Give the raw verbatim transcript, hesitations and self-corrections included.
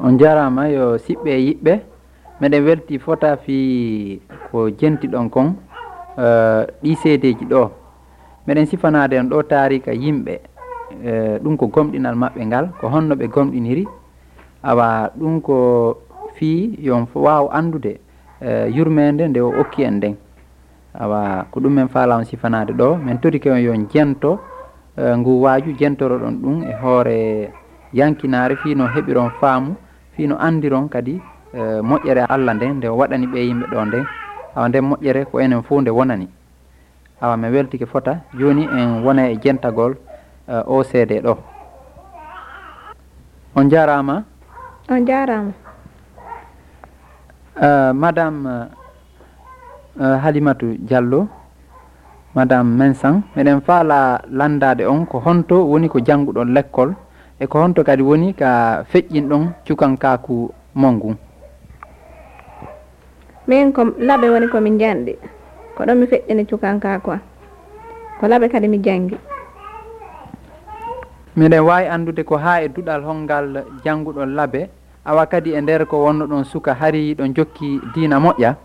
On njaaraama yo siɓɓe e yiɓɓe. Meɗen welti fota fii ko jenti ɗon kon, eh, ɗii seedeeji ɗoo. Meɗen sifanaade on ɗoo taariika yimɓe, eh, ɗum ko gomɗinal maɓɓe ngal, ko honno ɓe gomɗiniri. Awa ɗum ko fii yo on waaw anndude, eh, yurmeende nde o okki en nden. Awa ko ɗum men faala on sifanaade ɗoo. Men torike on yo on jento, eh, ngu waaju, jentoroɗon ɗum e hoore yankinaare fii no heɓiron faamu, fii no anndiron kadi, eh, moƴƴere Alla nden nde o waɗani ɓee yimɓe ɗoo nden. Awa nden moƴƴere ko enen fow nde wonani. Awa men weltike fota, jooni en wona e jentagol, eh, oo seede ɗoo. On njaaraama. On njaaraama. Eh, Madame, eh, Halimatu Diallo, Madame Mensang, meɗen faala lanndaade on ko honto woni ko jannguɗon lekkol e ko honto kadi woni ka feƴƴinɗon cukankaaku mon ngun. Min ko laɓe woni ko mi njanɗi. Ko ɗon mi feƴƴini cukankaaku an. Ko laɓe kadi mi janngi. Miɗen waawi anndude ko haa e duɗal honngal jannguɗon laɓe, awa kadi e nder ko wonnoɗon suka hari hiɗon jokki diina moƴƴa?